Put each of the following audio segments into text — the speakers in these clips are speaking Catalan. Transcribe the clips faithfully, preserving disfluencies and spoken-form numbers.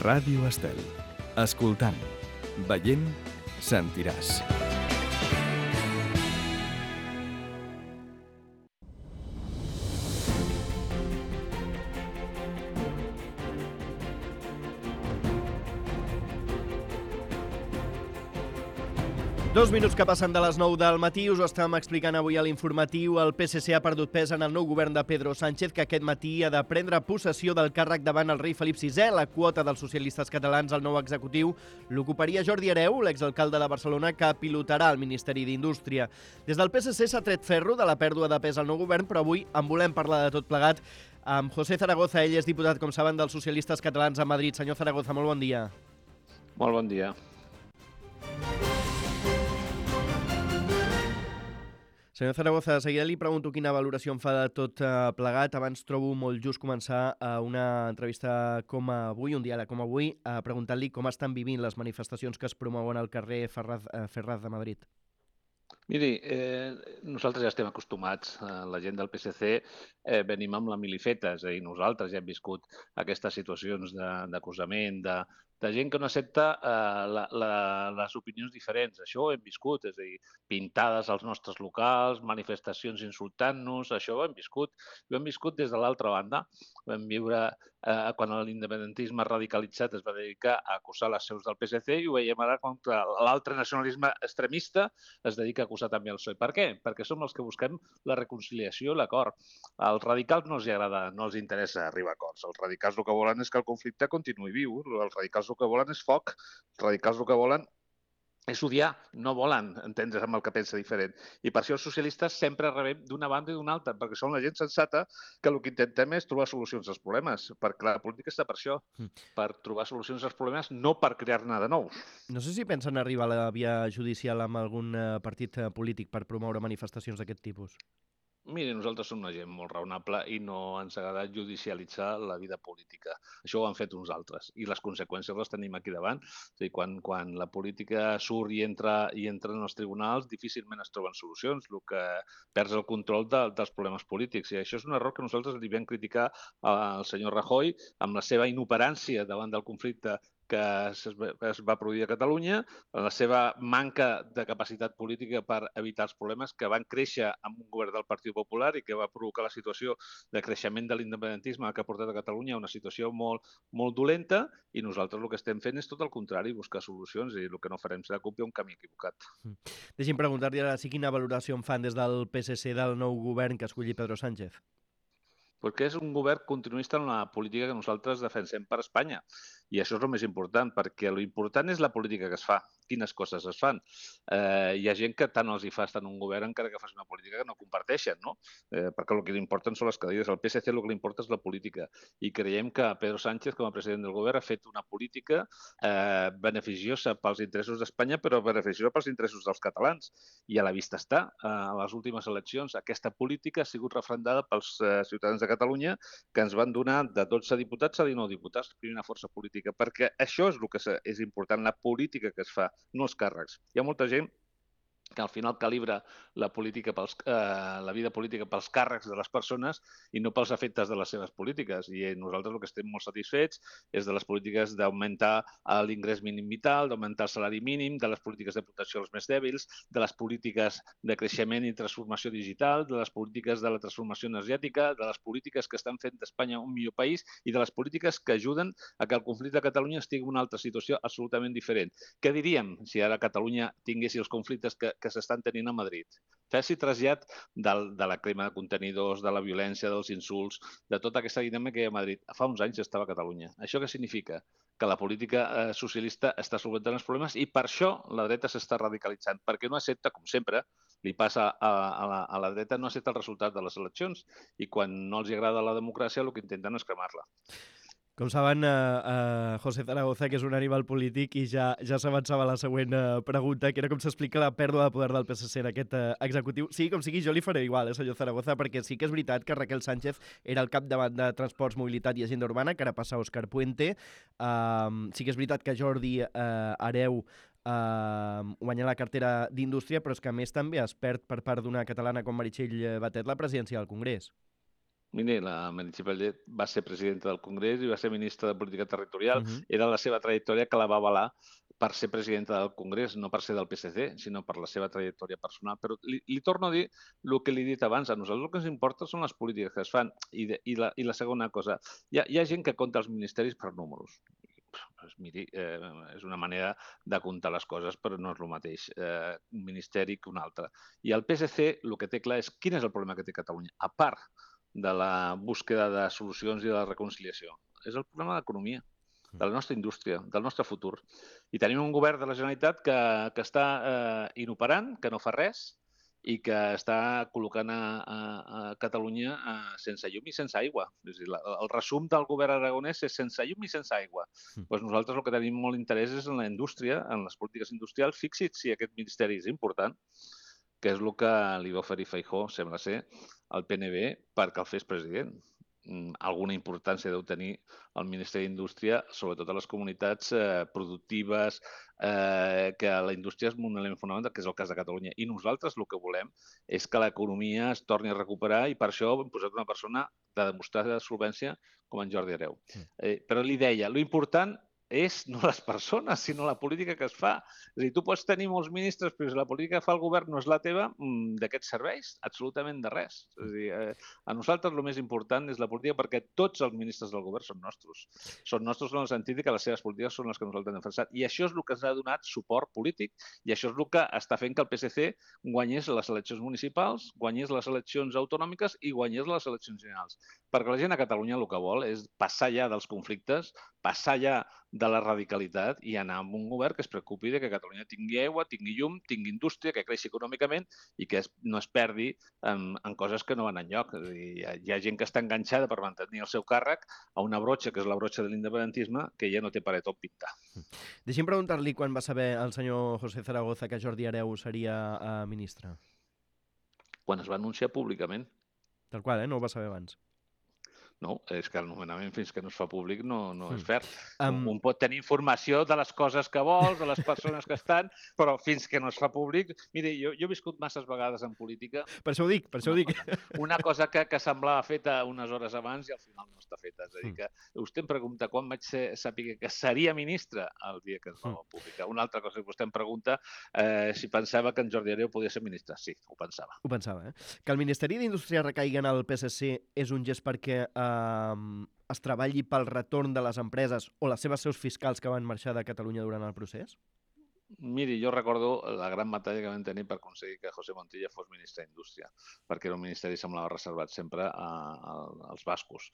Ràdio Estel. Escoltant, veient, sentiràs. Dos minuts que passen de les nou del matí, us ho estàvem explicant avui a l'informatiu. El P S C ha perdut pes en el nou govern de Pedro Sánchez, que aquest matí ha de prendre possessió del càrrec davant el rei Felip sisè. La quota dels socialistes catalans al nou executiu l'ocuparia Jordi Hereu, l'exalcalde de Barcelona, que pilotarà el Ministeri d'Indústria. Des del P S C s'ha tret ferro de la pèrdua de pes al nou govern, però avui en volem parlar de tot plegat amb José Zaragoza. Ell és diputat, com saben, dels socialistes catalans a Madrid. Senyor Zaragoza, molt bon dia. Molt bon dia. Senyor Zaragoza, de seguida li pregunto quina valoració en fa de tot plegat. Abans trobo molt just començar una entrevista com avui, un diàleg com avui, preguntant-li com estan vivint les manifestacions que es promouen al carrer Ferraz, Ferraz de Madrid. Miri, eh, nosaltres ja estem acostumats, eh, la gent del P S C eh, venim amb la milifeta, és a dir, nosaltres ja hem viscut aquestes situacions d'acusament, de, de gent que no accepta eh, la, la, les opinions diferents. Això ho hem viscut, és a dir, pintades als nostres locals, manifestacions insultant-nos, això ho hem viscut. Ho hem viscut des de l'altra banda. Ho vam viure eh, quan l'independentisme radicalitzat es va dedicar a acusar les seus del P S C i ho veiem ara contra l'altre nacionalisme extremista es dedica a acusar també el P S O E. Per què? Perquè som els que busquem la reconciliació i l'acord. Als radicals no els agrada, no els interessa arribar a acords. Els radicals el que volen és que el conflicte continuï viu. Els radicals el que volen és foc. Els radicals el que volen és odiar, no volen entendre's amb el que pensa diferent. I per això els socialistes sempre rebem d'una banda i d'una altra, perquè són la gent sensata que el que intentem és trobar solucions als problemes, perquè la política està per això, per trobar solucions als problemes, no per crear-ne de nous. No sé si pensen arribar a la via judicial amb algun partit polític per promoure manifestacions d'aquest tipus. Miri, nosaltres som una gent molt raonable i no ens agrada judicialitzar la vida política. Això ho han fet uns altres i les conseqüències les tenim aquí davant. És a dir, quan, quan la política surt i entra, i entra en els tribunals, difícilment es troben solucions, el que perds el control de, dels problemes polítics. I això és un error que nosaltres li vam criticar al senyor Rajoy amb la seva inoperància davant del conflicte que es va produir a Catalunya, la seva manca de capacitat política per evitar els problemes que van créixer amb un govern del Partit Popular i que va provocar la situació de creixement de l'independentisme que ha portat a Catalunya a una situació molt, molt dolenta, i nosaltres el que estem fent és tot el contrari, buscar solucions, i el que no farem serà copiar un camí equivocat. Deixi'm preguntar-li ara sí quina valoració en fan des del P S C del nou govern que escolli Pedro Sánchez. Perquè és un govern continuista en la política que nosaltres defensem per Espanya. I això és el més important, perquè l'important és la política que es fa, quines coses es fan. Eh, hi ha gent que tant els hi fa estar en un govern encara que faci una política que no comparteixen, no? Eh, perquè el que li importen són les cadires. Al P S C el que li importa és la política. I creiem que Pedro Sánchez, com a president del govern, ha fet una política eh, beneficiosa pels interessos d'Espanya, però beneficiosa pels interessos dels catalans. I a la vista està, eh, a les últimes eleccions, aquesta política ha sigut refrendada pels eh, ciutadans de Catalunya, que ens van donar de dotze diputats a dinou diputats, primera força política, perquè això és el que és important, la política que es fa, no els càrrecs. Hi ha molta gent que al final calibra la, política pels, eh, la vida política pels càrrecs de les persones i no pels efectes de les seves polítiques. I nosaltres el que estem molt satisfets és de les polítiques d'augmentar l'ingrés mínim vital, d'augmentar el salari mínim, de les polítiques de protecció als més dèbils, de les polítiques de creixement i transformació digital, de les polítiques de la transformació energètica, de les polítiques que estan fent d'Espanya un millor país i de les polítiques que ajuden a que el conflicte de Catalunya estigui en una altra situació absolutament diferent. Què diríem si ara Catalunya tingués els conflictes que que s'estan tenint a Madrid? Faci trasllat del, de la crema de contenidors, de la violència, dels insults, de tota aquesta dinàmica que hi ha a Madrid. Fa uns anys estava a Catalunya. Això què significa? Que la política eh, socialista està solventant els problemes i per això la dreta s'està radicalitzant, perquè no accepta, com sempre, li passa a, a, la, a la dreta, no accepta el resultat de les eleccions i quan no els agrada la democràcia el que intenten és cremar-la. Com saben, eh, eh, José Zaragoza, que és un animal polític, i ja, ja s'avançava la següent eh, pregunta, que era com s'explica la pèrdua de poder del P S C en aquest eh, executiu. Sí, com sigui, jo li faré igual, eh, senyor Zaragoza, perquè sí que és veritat que Raquel Sánchez era el capdavant de Transports, Mobilitat i Agenda Urbana, que ara passa a Òscar Puente. Uh, sí que és veritat que Jordi uh, Hereu Uh, guanyar la cartera d'Indústria, però és que a més també es perd per part d'una catalana com Meritxell Batet la presidència del Congrés. Mira, la Meritxell Batet va ser presidenta del Congrés i va ser ministra de Política Territorial. Mhm. Era la seva trajectòria que la va avalar per ser presidenta del Congrés, no per ser del P S C, sinó per la seva trajectòria personal. Però li, li torno a dir el que li he dit abans. A nosaltres el que ens importa són les polítiques que es fan. I, de, i, la, i la segona cosa, hi ha, hi ha gent que compta els ministeris per números. Pues miri, eh, és una manera de comptar les coses, però no és el mateix eh, un ministeri que un altre. I el P S C el que té clar és quin és el problema que té Catalunya, a part de la búsqueda de solucions i de la reconciliació. És el problema de l'economia, de la nostra indústria, del nostre futur. I tenim un govern de la Generalitat que, que està eh, inoperant, que no fa res, i que està col·locant a, a, a Catalunya a, sense llum i sense aigua. És a dir, la, el resum del govern aragonès és sense llum i sense aigua. Mm. Pues nosaltres el que tenim molt interès és en la indústria, en les polítiques industrials. Fixi't si aquest ministeri és important, que és el que li va oferir Feijóo, sembla ser, al P N B perquè el fes president. Alguna importància deu tenir el Ministeri d'Indústria, sobretot a les comunitats eh, productives, eh, que la indústria és un element fonamental, que és el cas de Catalunya. I nosaltres el que volem és que l'economia es torni a recuperar i per això hem posat una persona de demostrada solvència com en Jordi Hereu. Eh, però li deia, l'important és no les persones, sinó la política que es fa. És a dir, tu pots tenir molts ministres, però si la política que fa el govern no és la teva, d'aquests serveis, absolutament de res. És a dir, eh, a nosaltres el més important és la política perquè tots els ministres del govern són nostres. Són nostres en el sentit que les seves polítiques són les que nosaltres hem defensat. I això és el que ens ha donat suport polític i això és el que està fent que el P S C guanyés les eleccions municipals, guanyés les eleccions autonòmiques i guanyés les eleccions generals. Perquè la gent a Catalunya el que vol és passar ja dels conflictes, passar ja de la radicalitat i anar amb un govern que es preocupi de que Catalunya tingui aigua, tingui llum, tingui indústria, que creixi econòmicament i que es, no es perdi en, en coses que no van enlloc. És a dir, hi, ha, hi ha gent que està enganxada per mantenir el seu càrrec a una brotxa, que és la brotxa de l'independentisme, que ja no té paret on pintar. Deixi'm preguntar-li quan va saber el senyor José Zaragoza que Jordi Hereu seria uh, ministre. Quan es va anunciar públicament. Tal qual, eh? No ho va saber abans. No, és que el nomenament fins que no es fa públic no, no és Mm. fer. Um, Un pot tenir informació de les coses que vols, de les persones que estan, però fins que no es fa públic... Mire, jo, jo he viscut masses vegades en política. Per això ho dic, per això ho Una dic. cosa, una cosa que, que semblava feta unes hores abans i al final no està feta. És a dir, que vostè em pregunta quan vaig ser, saber que seria ministre el dia que es va publicar. Una altra cosa que vostè em pregunta eh, si pensava que en Jordi Hereu podia ser ministre. Sí, ho pensava. Ho pensava, eh? Que el Ministeri d'Indústria recaigui en el P S C és un gest perquè eh, es treballi pel retorn de les empreses o les seves seus fiscals que van marxar de Catalunya durant el procés? Miri, jo recordo la gran batalla que vam tenir per aconseguir que José Montilla fos ministre d'Indústria, perquè era un ministeri que semblava reservat sempre a, a, als bascos.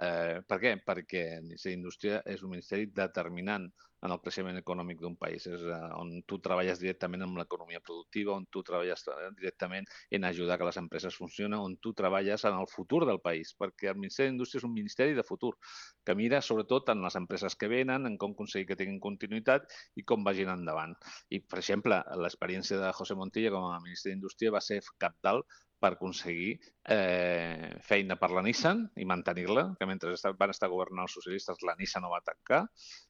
Eh, per què? Perquè el Ministeri d'Indústria és un ministeri determinant en el creixement econòmic d'un país, és on tu treballes directament amb l'economia productiva, on tu treballes directament en ajudar que les empreses funcionen, on tu treballes en el futur del país, perquè el Ministeri d'Indústria és un ministeri de futur, que mira sobretot en les empreses que venen, en com aconseguir que tinguin continuïtat i com vagin endavant. I, per exemple, l'experiència de José Montilla com a ministre d'Indústria va ser cabdal per aconseguir eh, feina per la Nissan i mantenir-la, que mentre van estar governant els socialistes la Nissan no va tancar,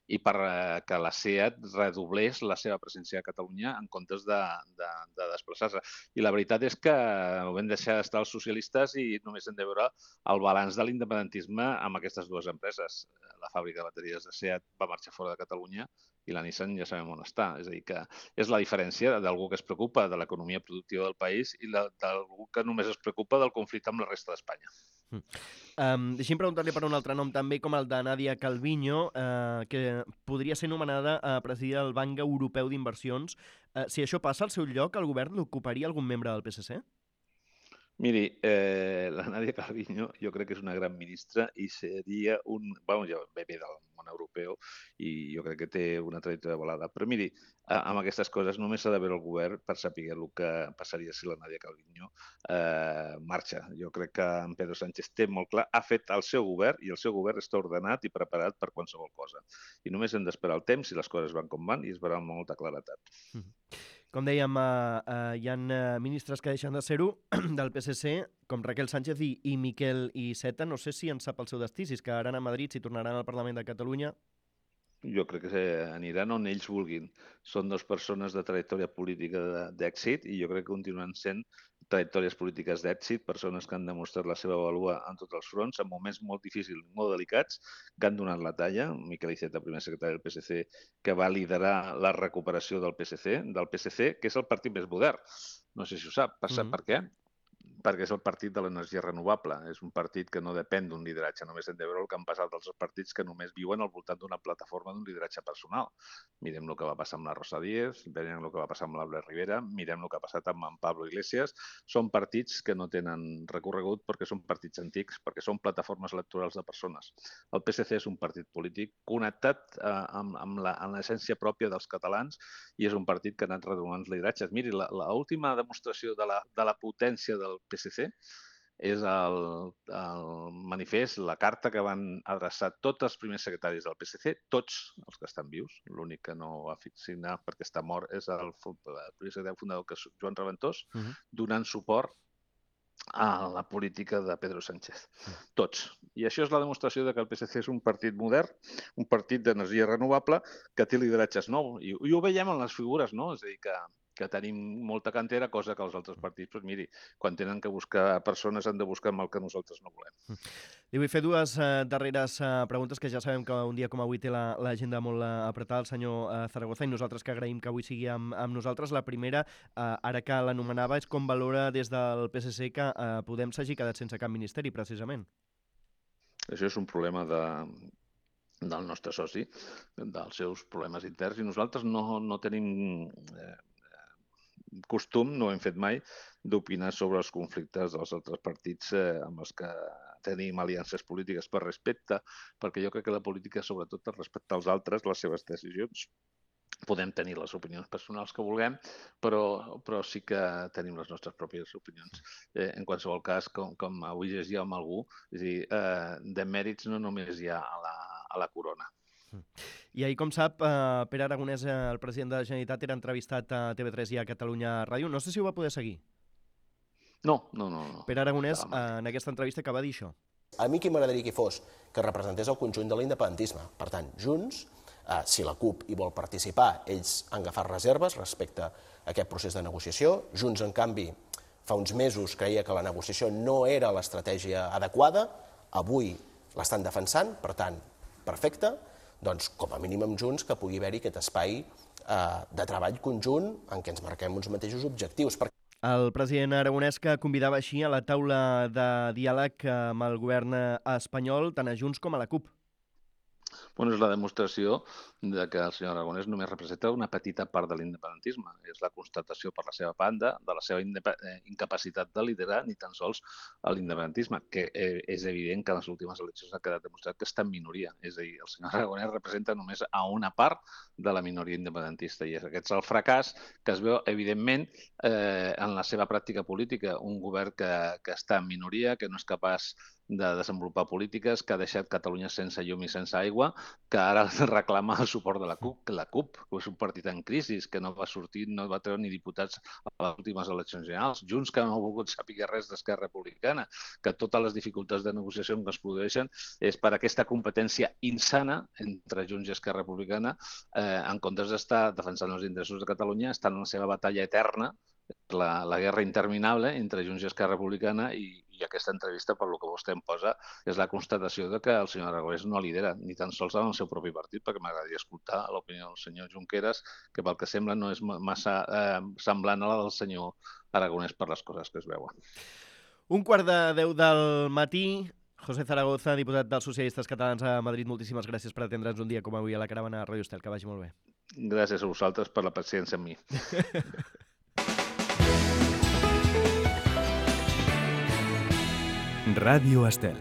i per eh, que la SEAT redoblés la seva presència a Catalunya en comptes de, de, de desplaçar-se. I la veritat és que ho vam deixar d'estar els socialistes i només hem de veure el balanç de l'independentisme amb aquestes dues empreses. La fàbrica de bateries de SEAT va marxar fora de Catalunya i la Nissan ja sabem on està. És a dir, que és la diferència d'algú que es preocupa de l'economia productiva del país i d'algú que només es preocupa del conflicte amb la resta d'Espanya. Mm. Um, deixi'm preguntar-li per un altre nom també, com el de Nadia Calviño, eh, que podria ser nomenada a presidir el Banc Europeu d'Inversions. Eh, si això passa al seu lloc, el govern l'ocuparia algun membre del P S C? Miri, eh, la Nadia Calviño jo crec que és una gran ministra i seria un... Bueno, ja ve bé del món europeu i jo crec que té una trajectòria volada. Però miri, amb aquestes coses només s'ha de veure el govern per saber el que passaria si la Nadia Calviño eh, marxa. Jo crec que en Pedro Sánchez té molt clar, ha fet el seu govern i el seu govern està ordenat i preparat per qualsevol cosa. I només hem d'esperar el temps si les coses van com van i es veurà amb molta claretat. Mm. Com dèiem, eh, eh, hi ha eh, ministres que deixen de ser-ho del P S C, com Raquel Sánchez i, i Miquel Iceta. No sé si en sap el seu destí, si es quedaran a Madrid, si tornaran al Parlament de Catalunya. Jo crec que aniran on ells vulguin. Són dues persones de trajectòria política d'èxit i jo crec que continuen sent trajectòries polítiques d'èxit, persones que han demostrat la seva vàlua en tots els fronts, en moments molt difícils, molt delicats, que han donat la talla. Miquel Iceta, primer secretari del P S C, que va liderar la recuperació del P S C, del P S C, que és el partit més modern. No sé si ho sap. Sap mm-hmm. per què? Perquè és el partit de l'energia renovable. És un partit que no depèn d'un lideratge. Només hem de veure el que han passat els partits que només viuen al voltant d'una plataforma d'un lideratge personal. Mirem el que va passar amb la Rosa Díez, mirem el que va passar amb l'Albert Rivera, mirem el que ha passat amb en Pablo Iglesias. Són partits que no tenen recorregut perquè són partits antics, perquè són plataformes electorals de persones. El P S C és un partit polític connectat eh, amb, amb l'essència pròpia dels catalans i és un partit que ha anat renovant els lideratges. Miri, l'última demostració de la, de la potència del P S C és el, el manifest, la carta que van adreçar tots els primers secretaris del P S C, tots els que estan vius. L'únic que no va signar perquè està mort és el, el primer secretari fundador, que és Joan Reventós, uh-huh. donant suport a la política de Pedro Sánchez. Uh-huh. Tots. I això és la demostració de que el P S C és un partit modern, un partit d'energia renovable que té lideratges nous. I, i ho veiem en les figures, no? És a dir, que que tenim molta cantera, cosa que els altres partits, doncs miri, quan tenen que buscar persones han de buscar amb el que nosaltres no volem. Li vull fer dues eh, darreres eh, preguntes, que ja sabem que un dia com avui té l'agenda molt eh, apretada el senyor eh, Zaragoza, i nosaltres que agraïm que avui sigui amb, amb nosaltres. La primera, eh, ara que l'anomenava, és com valora des del P S C que eh, Podem s'hagi quedat sense cap ministeri, precisament. Això és un problema de... del nostre soci, dels seus problemes interns, i nosaltres no, no tenim... Eh, costum, no ho hem fet mai, d'opinar sobre els conflictes dels altres partits eh, amb els que tenim aliances polítiques per respecte, perquè jo crec que la política, sobretot, és respectar als altres, les seves decisions. Podem tenir les opinions personals que vulguem, però, però sí que tenim les nostres pròpies opinions. Eh, en qualsevol cas, com, com avui llegia amb algú, és a dir, eh, de mèrits no només hi ha a la, a la corona. I ahir, com sap, eh, Pere Aragonès, eh, el president de la Generalitat, era entrevistat a T V tres i a Catalunya Ràdio. No sé si ho va poder seguir. No, no, no. no. Pere Aragonès, eh, en aquesta entrevista, que va dir això? A mi qui m'agradaria que fos que representés el conjunt de l'independentisme. Per tant, Junts, eh, si la CUP hi vol participar, ells han agafat reserves respecte a aquest procés de negociació. Junts, en canvi, fa uns mesos creia que la negociació no era l'estratègia adequada. Avui l'estan defensant, per tant, perfecte. Doncs, com a mínim amb Junts, que pugui haver-hi aquest espai eh, de treball conjunt en què ens marquem uns mateixos objectius. El president aragonès, que convidava així a la taula de diàleg amb el govern espanyol, tant a Junts com a la CUP. Bueno, és la demostració de que el senyor Aragonès només representa una petita part de l'independentisme. És la constatació per la seva banda de la seva incapacitat de liderar ni tan sols l'independentisme, que és evident que en les últimes eleccions ha quedat demostrat que està en minoria. És a dir, el senyor Aragonès representa només a una part de la minoria independentista i aquest és el fracàs que es veu, evidentment, eh, en la seva pràctica política. Un govern que, que està en minoria, que no és capaç de desenvolupar polítiques, que ha deixat Catalunya sense llum i sense aigua, que ara reclama el suport de la CUP, que la CUP, que és un partit en crisi, que no va sortir, no va treure ni diputats a les últimes eleccions generals, Junts, que no ha volgut saber res d'Esquerra Republicana, que totes les dificultats de negociació que es produeixen és per aquesta competència insana entre Junts i Esquerra Republicana, eh, en comptes d'estar defensant els interessos de Catalunya, estan en la seva batalla eterna, la, la guerra interminable entre Junts i Esquerra Republicana, i, i aquesta entrevista, per lo que vostè em posa, és la constatació de que el senyor Aragonès no lidera, ni tan sols en el seu propi partit, perquè m'agradaria escoltar l'opinió del senyor Junqueras, que pel que sembla no és massa eh, semblant a la del senyor Aragonès per les coses que es veuen. Un quart de deu del matí. José Zaragoza, diputat dels Socialistes Catalans a Madrid, moltíssimes gràcies per atendre'ns un dia com avui a la caravana de Ràdio Estel. Que vagi molt bé. Gràcies a vosaltres per la paciència amb mi. Ràdio Estel.